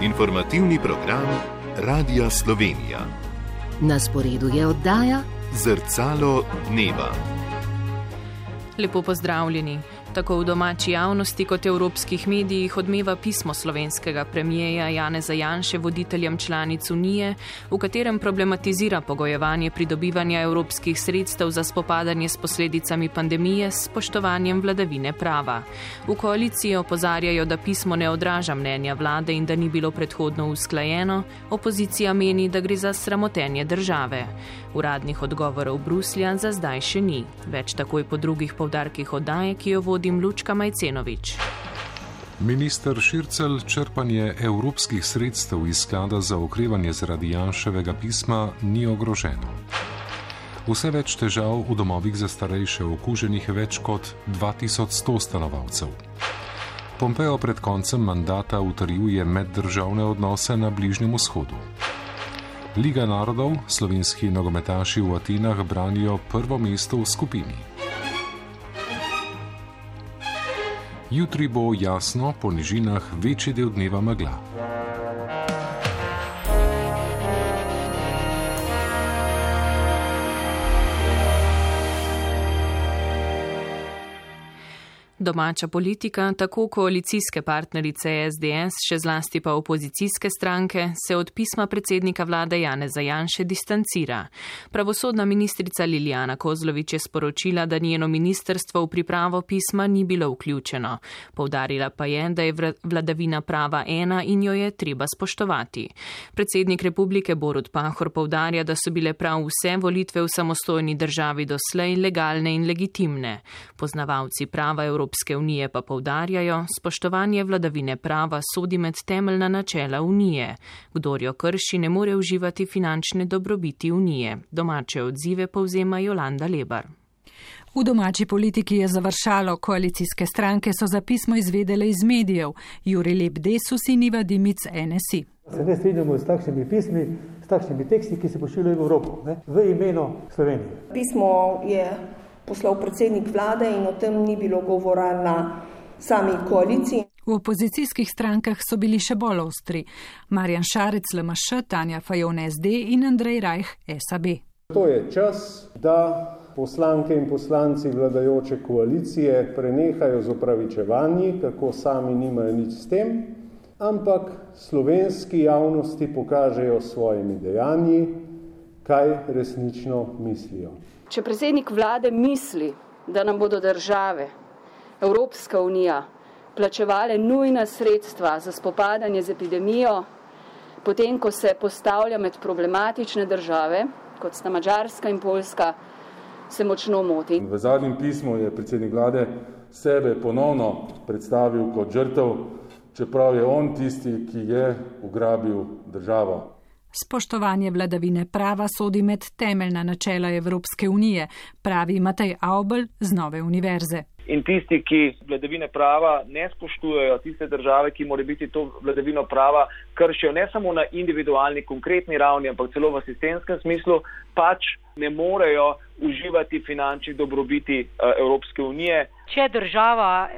Informativni program Radia Slovenija. Na sporedu je oddaja Zrcalo dneva. Lepo pozdravljeni. Tako v domači javnosti kot evropskih medijih odmeva pismo slovenskega premijeja Janeza Janše voditeljem članic Unije, v katerem problematizira pogojevanje pridobivanja evropskih sredstev za spopadanje s posledicami pandemije s spoštovanjem vladavine prava. V koaliciji opozarjajo, da pismo ne odraža mnenja vlade in da ni bilo predhodno usklajeno, opozicija meni, da gre za sramotenje države. Uradnih odgovorov Bruslja za zdaj še ni. Več takoj po drugih poudarkih oddaje, ki jo vodim Lučka Majcenovič. Minister Šircelj črpanje evropskih sredstev iz sklada za okrevanje zaradi Janševega pisma ni ogroženo. Vse več težav v domovih za starejše okuženih več kot 2100 stanovalcev. Pompeo pred koncem mandata utrjuje meddržavne odnose na Bližnjem vzhodu. Liga narodov, slovenski nogometaši v Atenah branijo prvo mesto v skupini. Jutri bo jasno, po nižinah večji del dneva megla. Domača politika, tako koalicijske partnerice SDS, še zlasti pa opozicijske stranke, se od pisma predsednika vlade Janeza Janše distancira. Pravosodna ministrica Lilijana Kozlovič je sporočila, da njeno ministrstvo v pripravo pisma ni bilo vključeno. Poudarila pa je, da je vladavina prava ena in jo je treba spoštovati. Predsednik republike Borut Pahor poudarja, da so bile prav vse volitve v samostojni državi doslej legalne in legitimne. Poznavalci prava Evropske unije pa poudarjajo, spoštovanje vladavine prava sodi med temeljna načela unije. Kdor jo krši, ne more uživati finančne dobrobiti unije. Domače odzive povzema Jolanda Lebar. V domači politiki je završalo, koalicijske stranke so za pismo izvedele iz medijev. Jurij Lep Desus in Iva Dimic NSI. Se ne strinjamo s takšnimi pismi, s takšnimi teksti, ki se pošiljajo v Evropo, v imenu Slovenije. Pismo je poslal predsednik vlade in o tem ni bilo govora na sami koaliciji. V opozicijskih strankah so bili še bolj ostri. Marjan Šarec LMŠ, Tanja Fajon SD in Andrej Rajh SAB. To je čas, da poslanke in poslanci vladajoče koalicije prenehajo z opravičevanji, kako sami nimajo nič s tem, ampak slovenski javnosti pokažejo svojimi dejanji, kaj resnično mislijo. Če predsednik vlade misli, da nam bodo države, Evropska unija, plačevale nujna sredstva za spopadanje z epidemijo, potem, ko se postavlja med problematične države, kot sta Madžarska in Poljska, se močno moti. V zadnjem pismu je predsednik vlade sebe ponovno predstavil kot žrtev, čeprav je on tisti, ki je ugrabil državo. Spoštovanje vladavine prava sodi med temeljna načela Evropske unije, pravi Matej Avbelj z Nove univerze. In tisti, ki vladavine prava ne spoštujejo, tiste države, ki mora biti to vladavino prava kršijo ne samo na individualni, konkretni ravni, ampak celo v sistemskem smislu, pač ne morejo uživati finančnih dobrobiti Evropske unije. Če država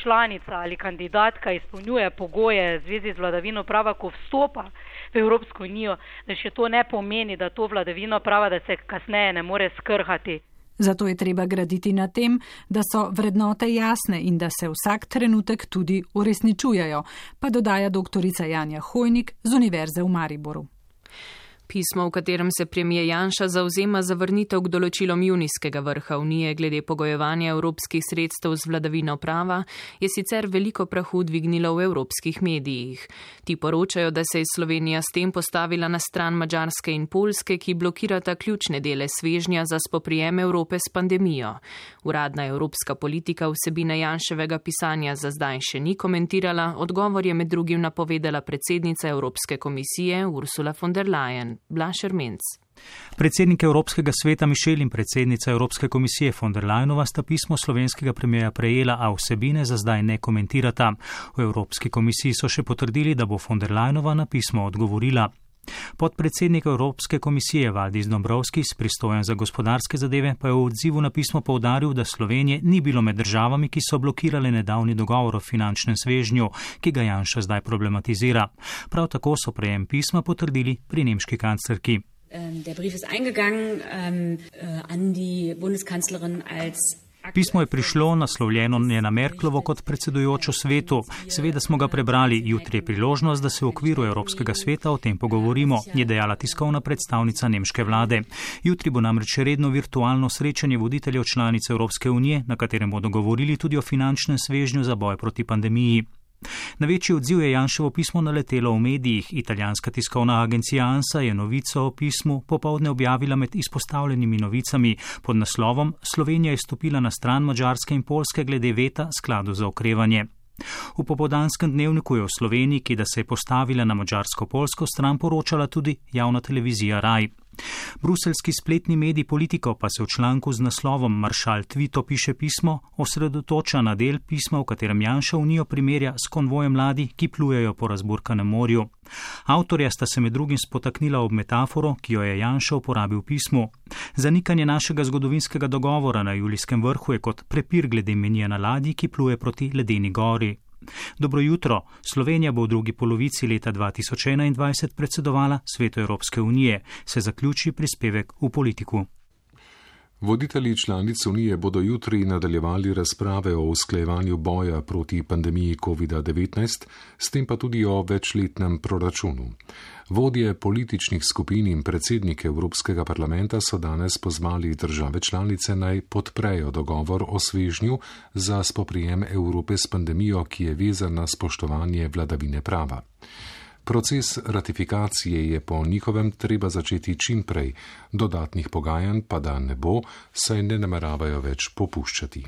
članica ali kandidatka izpolnjuje pogoje v zvezi z vladavino prava, ko vstopa v Evropsko unijo, da še to ne pomeni, da to vladavino prava, da se kasneje ne more skrhati. Zato je treba graditi na tem, da so vrednote jasne in da se vsak trenutek tudi uresničujejo, pa dodaja doktorica Janja Hojnik z Univerze v Mariboru. Pismo, v katerem se premijer Janša zavzema za vrnitev k določilom junijskega vrha Unije glede pogojevanja evropskih sredstev z vladavino prava, je sicer veliko prahu dvignilo v evropskih medijih. Ti poročajo, da se je Slovenija s tem postavila na stran Madžarske in Poljske, ki blokirata ključne dele svežnja za spoprijem Evrope s pandemijo. Uradna evropska politika vsebine Janševega pisanja za zdaj še ni komentirala, odgovor je med drugim napovedala predsednica Evropske komisije Ursula von der Leyen. Blaž Ermenc. Predsednik Evropskega sveta Mišel in predsednica Evropske komisije von der Leyenova sta pismo slovenskega premijeja prejela, a vsebine za zdaj ne komentirata. V Evropski komisiji so še potrdili, da bo von der Leyenova na pismo odgovorila. Podpredsednik Evropske komisije Valdis Dombrovskis, pristojen za gospodarske zadeve, pa je v odzivu na pismo poudaril, da Slovenije ni bilo med državami, ki so blokirale nedavni dogovor o finančnem svežnju, ki ga Janša zdaj problematizira. Prav tako so prejem pisma potrdili pri nemški kanclerki. Der Brief ist eingegangen an die Bundeskanzlerin als Pismo je prišlo, naslovljeno je na Merklovo kot predsedujočo svetu. Seveda smo ga prebrali, jutri je priložnost, da se v okviru Evropskega sveta o tem pogovorimo, je dejala tiskovna predstavnica nemške vlade. Jutri bo namreč redno virtualno srečanje voditeljev članic Evropske unije, na katerem bodo govorili tudi o finančnem svežnju za boj proti pandemiji. Na večji odziv je Janševo pismo naletelo v medijih. Italijanska tiskovna agencija ANSA je novico o pismu popoldne objavila med izpostavljenimi novicami pod naslovom Slovenija je stopila na stran Madžarske in Poljske glede veta skladu za okrevanje. V popoldanskem dnevniku je v Sloveniji, ki da se je postavila na madžarsko-poljsko stran, poročala tudi javna televizija RAI. Bruseljski spletni medij Politico pa se v članku z naslovom Maršal Tvito piše pismo osredotoča na del pisma, v katerem Janša Unijo primerja s konvojem mladi, ki plujejo po razburkanem morju. Avtorja sta se med drugim spotaknila ob metaforo, ki jo je Janša uporabil v pismu. Zanikanje našega zgodovinskega dogovora na julijskem vrhu je kot prepir glede menija na ladji, ki pluje proti ledeni gori. Dobro jutro. Slovenija bo v drugi polovici leta 2021 predsedovala Svetu Evropske unije, se zaključi prispevek v Politiku. Voditelji članic Unije bodo jutri nadaljevali razprave o usklajevanju boja proti pandemiji COVID-19, s tem pa tudi o večletnem proračunu. Vodje političnih skupin in predsednike Evropskega parlamenta so danes pozvali države članice naj podprejo dogovor o svežnju za spoprijem Evrope s pandemijo, ki je vezan na spoštovanje vladavine prava. Proces ratifikacije je po njihovem treba začeti čim prej, dodatnih pogajanj pa da ne bo, saj ne nameravajo več popuščati.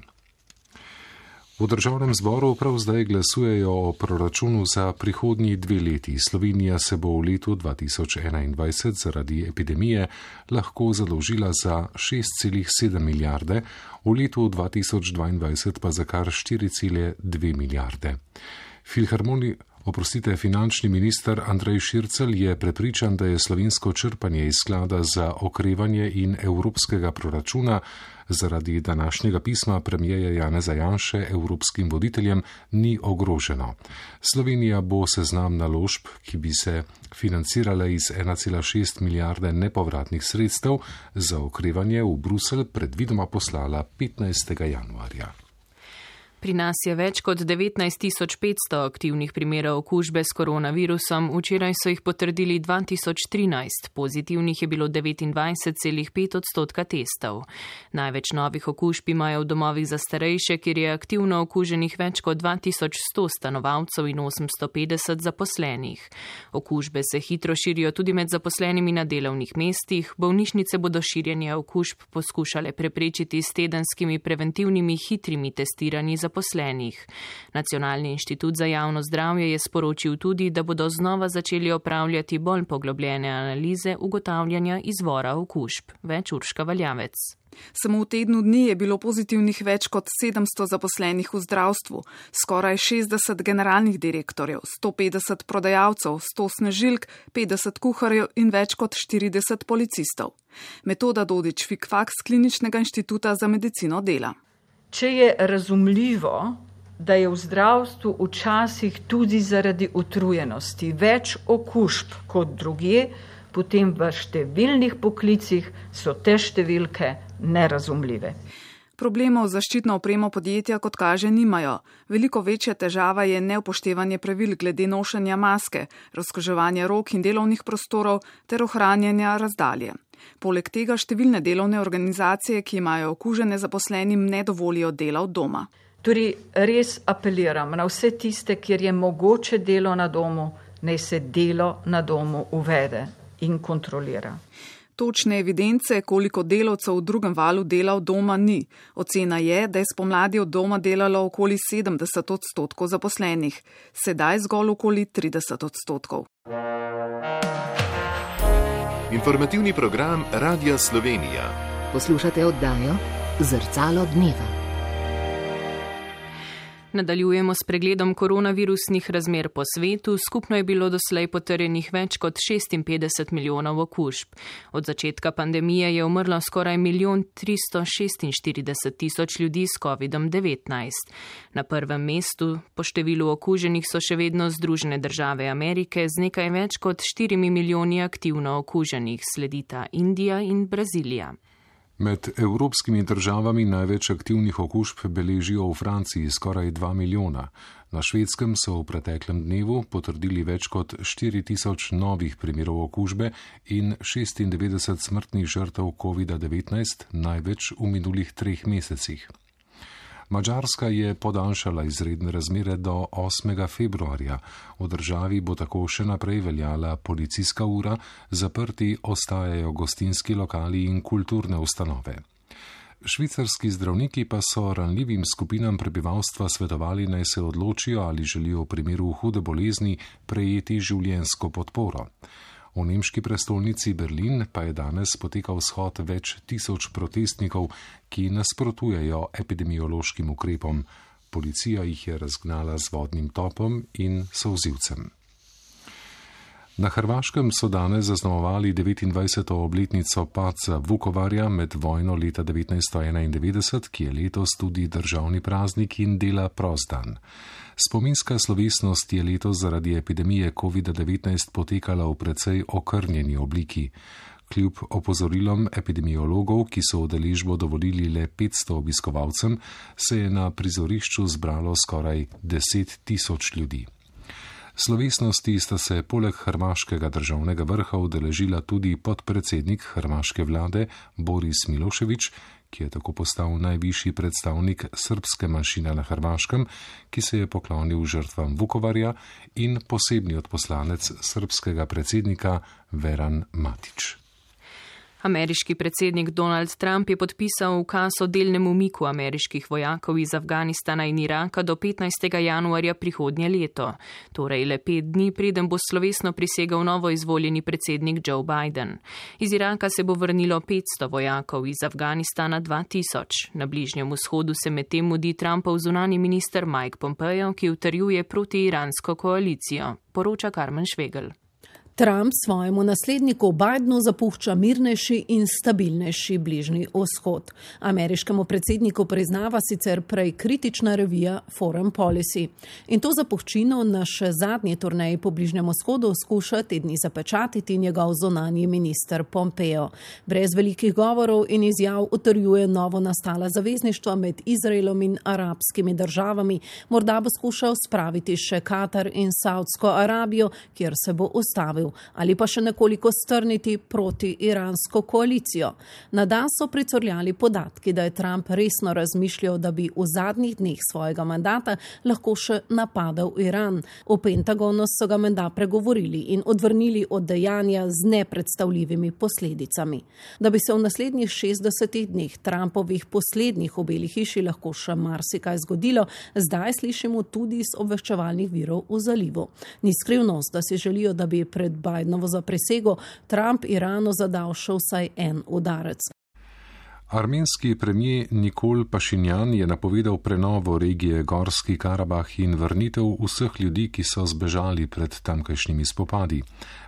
V državnem zboru prav zdaj glasujejo o proračunu za prihodnji 2 leti. Slovenija se bo v letu 2021 zaradi epidemije lahko zadolžila za 6,7 milijarde, v letu 2022 pa za kar 4,2 milijarde. Finančni minister Andrej Šircelj je prepričan, da je slovensko črpanje iz sklada za okrevanje in evropskega proračuna zaradi današnjega pisma premierja Janeza Janše evropskim voditeljem ni ogroženo. Slovenija bo seznam naložb, ki bi se financirale iz 1,6 milijarde nepovratnih sredstev za okrevanje v Bruselj predvidoma poslala 15. januarja. Pri nas je več kot 19.500 aktivnih primerov okužbe s koronavirusom, včeraj so jih potrdili 2013, pozitivnih je bilo 29,5% testov. Največ novih okužb imajo v domovih za starejše, kjer je aktivno okuženih več kot 2100 stanovalcev in 850 zaposlenih. Okužbe se hitro širijo tudi med zaposlenimi na delovnih mestih, bolnišnice bodo širjenje okužb poskušale preprečiti s tedenskimi preventivnimi hitrimi testiranji zaposlenih. Nacionalni inštitut za javno zdravje je sporočil tudi, da bodo znova začeli opravljati bolj poglobljene analize ugotavljanja izvora okužb. Več Urška Valjavec. Samo v tednu dni je bilo pozitivnih več kot 700 zaposlenih v zdravstvu, skoraj 60 generalnih direktorjev, 150 prodajalcev, 100 snežilk, 50 kuharjev in več kot 40 policistov. Metoda Dodič-Fikfak z Kliničnega inštituta za medicino dela. Če je razumljivo, da je v zdravstvu včasih tudi zaradi utrujenosti več okužb kot drugje, potem v številnih poklicih so te številke nerazumljive. Problemov z zaščitno opremo podjetja kot kaže nimajo. Veliko večja težava je neupoštevanje pravil glede nošenja maske, razkuževanja rok in delovnih prostorov ter ohranjanja razdalje. Poleg tega številne delovne organizacije, ki imajo okužene zaposlenim, ne dovolijo dela od doma. Torej res apeliram na vse tiste, kjer je mogoče delo na domu, naj se delo na domu uvede in kontrolira. Točne evidence, koliko delavcev v drugem valu dela od doma ni. Ocena je, da je spomladi od doma delalo okoli 70% zaposlenih, sedaj zgolj okoli 30%. Informativni program Radia Slovenija. Poslušate oddajo Zrcalo dneva. Nadaljujemo s pregledom koronavirusnih razmer po svetu. Skupno je bilo doslej potrjenih več kot 56 milijonov okužb. Od začetka pandemije je umrlo skoraj 1 346 000 ljudi s COVID-19. Na prvem mestu po številu okuženih so še vedno Združene države Amerike z nekaj več kot 4 milijoni aktivno okuženih, sledita Indija in Brazilija. Med evropskimi državami največ aktivnih okužb beležijo v Franciji skoraj 2 milijona. Na Švedskem so v preteklem dnevu potrdili več kot 4 000 novih primerov okužbe in 96 smrtnih žrtev COVID-19, največ v minulih 3 mesecih. Madžarska je podaljšala izredne razmere do 8. februarja. V državi bo tako še naprej veljala policijska ura, zaprti ostajajo gostinski lokali in kulturne ustanove. Švicarski zdravniki pa so ranljivim skupinam prebivalstva svetovali, naj se odločijo, ali želijo v primeru hude bolezni prejeti življenjsko podporo. V nemški prestolnici Berlin pa je danes potekal shod več tisoč protestnikov, ki nasprotujejo epidemiološkim ukrepom. Policija jih je razgnala z vodnim topom in solzivcem. Na Hrvaškem so danes zaznamovali 29. obletnico padca Vukovarja med vojno leta 1991, ki je letos tudi državni praznik in dela prost dan. Spominska slovesnost je letos zaradi epidemije COVID-19 potekala v precej okrnjeni obliki. Kljub opozorilom epidemiologov, ki so udeležbo dovolili le 500 obiskovalcem, se je na prizorišču zbralo skoraj 10 000 ljudi. Slovesnosti sta se poleg hrvaškega državnega vrha udeležila tudi podpredsednik hrvaške vlade Boris Milošević, ki je tako postal najvišji predstavnik srbske manjšine na Hrvaškem, ki se je poklonil žrtvam Vukovarja, in posebni odposlanec srbskega predsednika Veran Matić. Ameriški predsednik Donald Trump je podpisal ukaz o delnem umiku ameriških vojakov iz Afganistana in Iraka do 15. januarja prihodnje leto, torej le 5 dni, preden bo slovesno prisegel novo izvoljeni predsednik Joe Biden. Iz Iraka se bo vrnilo 500 vojakov, iz Afganistana 2000. Na Bližnjem vzhodu se medtem mudi Trumpov zunanji minister Mike Pompeo, ki utrjuje protiiransko koalicijo, poroča Karmen Švegel. Trump svojemu nasledniku Bidenu zapušča mirnejši in stabilnejši Bližnji vzhod. Ameriškemu predsedniku priznava sicer prej kritična revija Foreign Policy. In to zapuščino na še zadnji turneji po Bližnjem vzhodu skuša te dni zapečatiti njegov zunanji minister Pompeo. Brez velikih govorov in izjav utrjuje novo nastala zavezništva med Izraelom in arabskimi državami. Morda bo skušal spraviti še Katar in Saudsko Arabijo, kjer se bo ustavil, ali pa še nekoliko strniti proti iransko koalicijo. Na dan so pricurljali podatki, da je Trump resno razmišljal, da bi v zadnjih dneh svojega mandata lahko še napadal Iran. V Pentagonu so ga menda pregovorili in odvrnili od dejanja z nepredstavljivimi posledicami. Da bi se v naslednjih 60 dneh Trumpovih poslednjih v Beli hiši lahko še marsikaj zgodilo, zdaj slišimo tudi iz obveščevalnih virov v zalivu. Ni skrivnost, da si želijo, da bi pred Bidenovo zaprisego Trump Iranu zadal še vsaj en udarec. Armenski premijer Nikol Pašinjan je napovedal prenovo regije Gorski Karabah in vrnitev vseh ljudi, ki so zbežali pred tamkajšnjimi spopadi.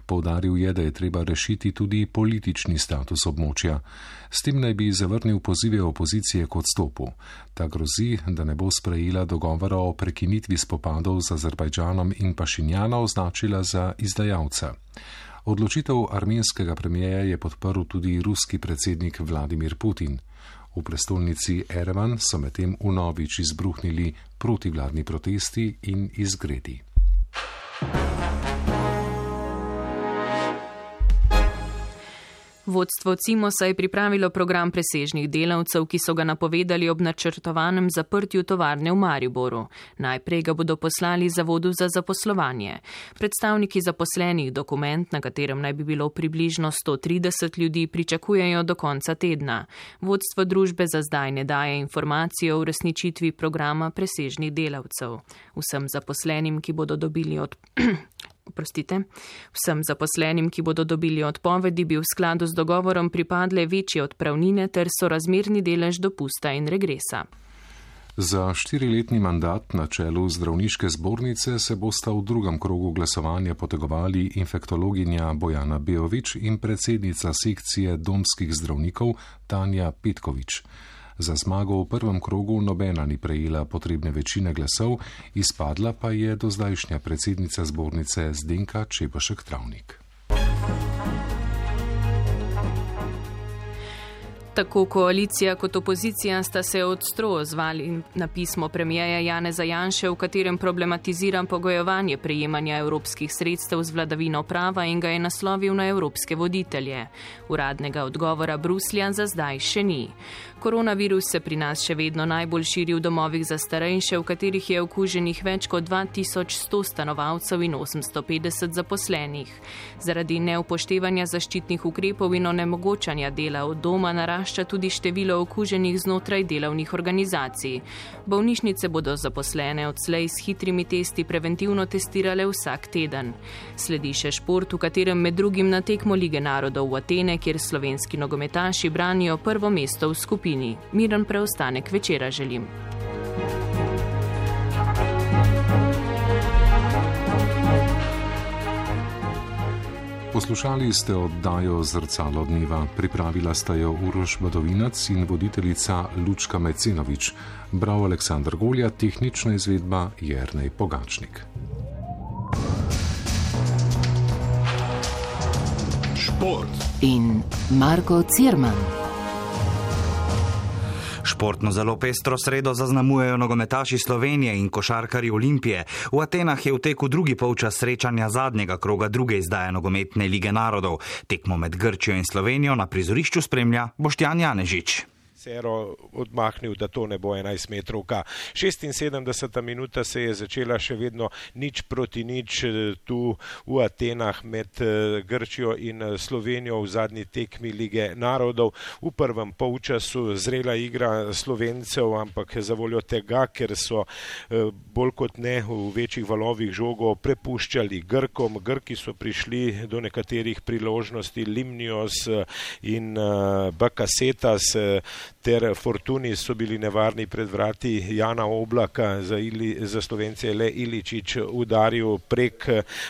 Poudaril je, da je treba rešiti tudi politični status območja. S tem naj bi zavrnil pozive opozicije k odstopu. Ta grozi, da ne bo sprejela dogovora o prekinitvi spopadov z Azerbajdžanom in Pašinjana označila za izdajalca. Odločitev armenskega premijeja je podprl tudi ruski predsednik Vladimir Putin. V prestolnici Erevan so medtem vnovič izbruhnili protivladni protesti in izgredi. Vodstvo Cimosa je pripravilo program presežnih delavcev, ki so ga napovedali ob načrtovanem zaprtju tovarne v Mariboru. Najprej ga bodo poslali Zavodu za zaposlovanje. Predstavniki zaposlenih dokument, na katerem naj bi bilo približno 130 ljudi, pričakujejo do konca tedna. Vodstvo družbe za zdaj ne daje informacije o uresničitvi programa presežnih delavcev. Vsem zaposlenim, ki bodo dobili odpovedi, bi v skladu z dogovorom pripadle večje odpravnine ter sorazmerni delež dopusta in regresa. Za 4-letni mandat na čelu zdravniške zbornice se bosta v drugem krogu glasovanja potegovali infektologinja Bojana Beovič in predsednica sekcije domskih zdravnikov Tanja Petkovič. Za zmago v prvem krogu nobena ni prejela potrebne večine glasov, izpadla pa je dozdajšnja predsednica zbornice Zdenka Čebašek-Travnik. Tako koalicija kot opozicija sta se ostro odzvali na pismo premijeja Janeza Janše, v katerem problematizira pogojevanje prejemanja evropskih sredstev z vladavino prava in ga je naslovil na evropske voditelje. Uradnega odgovora Bruslja za zdaj še ni. Koronavirus se pri nas še vedno najbolj širi v domovih za starejše, v katerih je okuženih več kot 2100 stanovalcev in 850 zaposlenih. Zaradi neupoštevanja zaščitnih ukrepov in onemogočanja dela od doma narašča tudi število okuženih znotraj delovnih organizacij. Bolnišnice bodo zaposlene odslej s hitrimi testi preventivno testirale vsak teden. Sledi še šport, v katerem med drugim na tekmo Lige narodov v Atene, kjer slovenski nogometaši branijo prvo mesto v skupini. Miren preostanek večera želim. Poslušali ste oddajo Zrcalo dneva. Pripravila sta jo Uroš Badovinac in voditeljica Lučka Mecenovič. Bral Aleksandar Golja, tehnična izvedba Jernej Pogačnik. Šport in Marko Cirman. Športno zelo pestro sredo zaznamujejo nogometaši Slovenije in košarkarji Olimpije. V Atenah je v teku drugi polčas srečanja zadnjega kroga druge izdaje nogometne Lige narodov. Tekmo med Grčijo in Slovenijo na prizorišču spremlja Boštjan Janežič. Cero odmahnil, da to ne bo 11 metrovka. 76. minuta se je začela še vedno 0-0 tu v Atenah med Grčijo in Slovenijo v zadnji tekmi Lige narodov. V prvem polčasu zrela igra Slovencev, ampak zavoljo tega, ker so bolj kot ne v večjih valovih žogo prepuščali Grkom. Grki so prišli do nekaterih priložnosti, Limnios in Bakasetas ter Fortuni so bili nevarni pred vrati Jana Oblaka. Za Slovence je le Iličić udaril prek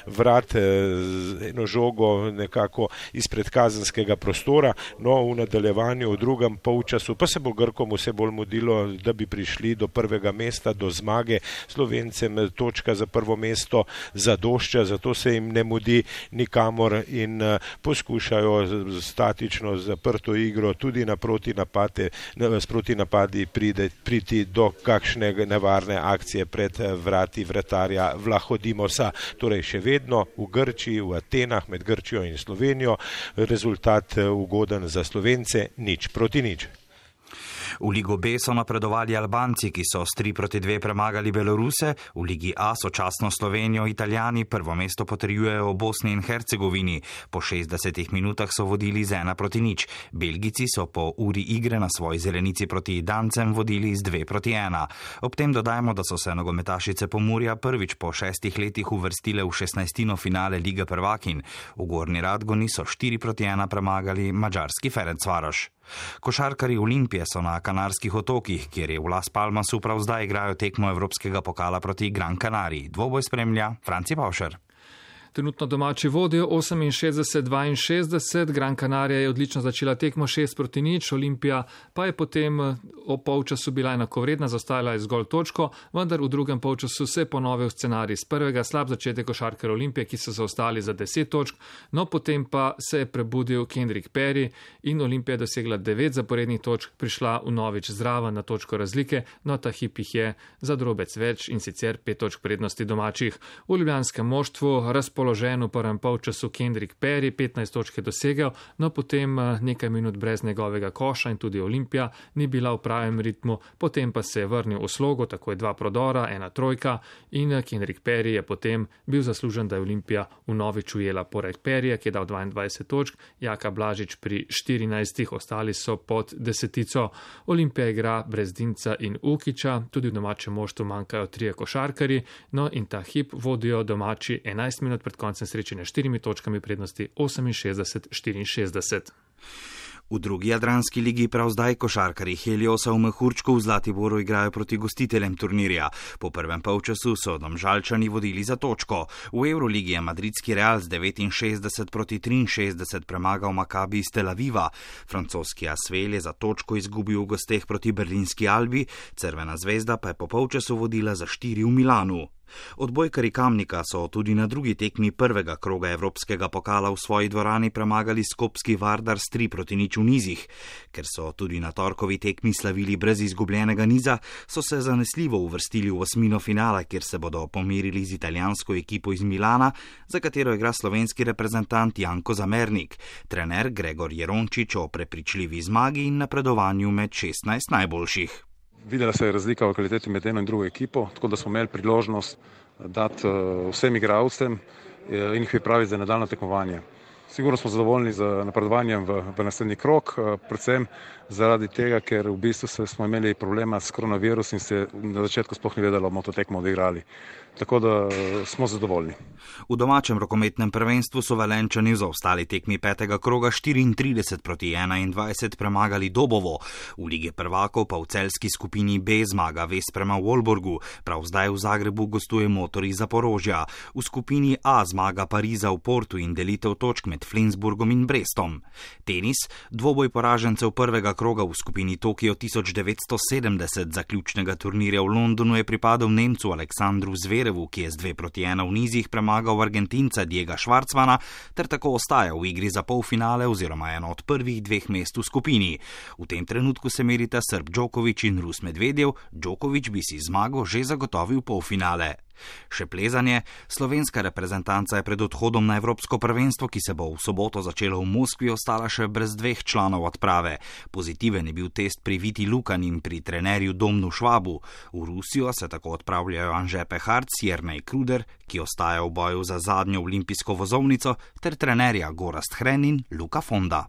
vrat eno žogo nekako izpred kazenskega prostora. No, v nadaljevanju v drugem polčasu pa se bo Grkom vse bolj mudilo, da bi prišli do prvega mesta, do zmage. Slovencem točka za prvo mesto zadošča, zato se jim ne mudi nikamor in poskušajo statično zaprto igro tudi na protinapade sproti napadi priti do kakšne nevarne akcije pred vrati vratarja Vlahodimosa. Torej še vedno v Grčiji, v Atenah med Grčijo in Slovenijo, rezultat ugoden za Slovence 0-0. V Ligo B so napredovali Albanci, ki so s 3-2 premagali Beloruse, v Ligi A sočasno Slovenijo Italijani prvo mesto potrjujejo v Bosni in Hercegovini. Po 60 minutah so vodili z 1-0. Belgijci so po uri igre na svoji zelenici proti Dancem vodili z 2-1. Ob tem dodajmo, da so se nogometašice Pomurja prvič po 6 letih uvrstile v 16. finale Lige prvakinj. V Gornji Radgoni so 4-1 premagali madžarski Ferencvaroš. Košarkarji Olimpije so na Kanarskih otokih, kjer je v Las Palmasu prav zdaj igrajo tekmo Evropskega pokala proti Gran Canariji. Dvoboj spremlja Franci Pavšer. Trenutno domači vodijo 68-62, Gran Canaria je odlično začela tekmo 6-0, Olimpija pa je potem o polčasu bila enakovredna, zaostajala je zgolj točko, vendar v drugem polčasu se je ponovil scenarij z prvega, slab začetek košarkarjev Olimpije, ki so zaostali za 10 točk, no potem pa se je prebudil Kendrick Perry in Olimpija dosegla 9 zaporednih točk, prišla vnovič zraven na točko razlike, no ta hip jih je za drobec več in sicer 5 točk prednosti domačih. V ljubljanskem moštvu razpoložen v prvem polčasu Kendrick Perry, 15 točk je dosegel, no potem nekaj minut brez njegovega koša in tudi Olimpija ni bila v pravem ritmu, potem pa se je vrnil v slogo, tako je 2 prodora, 1 trojka in Kendrick Perry je potem bil zaslužen, da je Olimpija vnovič ujela pored Perryja, ki je dal 22 točk, Jaka Blažič pri 14, ostali so pod 10. Olimpija igra brez Dinca in Ukića, tudi v domačem moštvu manjkajo 3 košarkarji, no in ta hip vodijo domači 11 minut pred koncem srečanja 4 točkami prednosti 68-64. V drugi jadranski ligi prav zdaj košarkarji Heliosa v Mehurčku v Zlatiboru igrajo proti gostiteljem turnirja. Po prvem polčasu so Domžalčani vodili za točko. V Euroligi je madridski Real z 69-63 premagal Makabi iz Tel Aviva. Francoski Asvel je za točko izgubil v gosteh proti berlinski Albi, Crvena zvezda pa je po polčasu vodila za 4 v Milanu. Odbojkarji Kamnika so tudi na drugi tekmi prvega kroga Evropskega pokala v svoji dvorani premagali skopski Vardar s 3-0 v nizih. Ker so tudi na torkovi tekmi slavili brez izgubljenega niza, so se zanesljivo uvrstili v osmino finala, kjer se bodo pomerili z italijansko ekipo iz Milana, za katero igra slovenski reprezentant Janko Zamernik, trener Gregor Jerončič o prepričljivi zmagi in napredovanju med 16 najboljših. Videla se je razlika v kvaliteti med eno in drugo ekipo, tako da smo imeli priložnost dati vsem igralcem in jih pripraviti za nadaljnje tekmovanje. Sigurno smo zadovoljni z napredovanjem v naslednji krog, predvsem zaradi tega, ker v bistvu smo imeli problema s koronavirusom in se na začetku sploh ni vedelo, bomo to tekmo odigrali. Tako da smo zadovoljni. V domačem rokometnem prvenstvu so Velenjčani v zaostali tekmi petega kroga 34-21 premagali Dobovo. V Ligi prvakov pa v celjski skupini B zmaga Ves prema Wolborgu. Prav zdaj v Zagrebu gostuje Motor iz Zaporožja. V skupini A zmaga Pariza v Portu in delitev točk med Flensburgom in Brestom. Tenis, dvoboj poražencev prvega kroga v skupini Tokio 1970 zaključnega turnirja v Londonu je pripadal Nemcu Aleksandru Zverevu, ki je z 2-1 v nizih premagal Argentinca Diega Schwartzmana ter tako ostaja v igri za polfinale oziroma eno od prvih dveh mest v skupini. V tem trenutku se merita Srb Djokovic in Rus Medvedev, Djokovic bi si zmago že zagotovil polfinale. Še plezanje. Slovenska reprezentanca je pred odhodom na Evropsko prvenstvo, ki se bo v soboto začelo v Moskvi, ostala še brez 2 članov odprave. Pozitiven je bil test pri Viti Lukan in pri trenerju Domnu Švabu. V Rusijo se tako odpravljajo Anže Peharc, Jernej Kruder, ki ostaja v boju za zadnjo olimpijsko vozovnico, ter trenerja Gorazd Hren in Luka Fonda.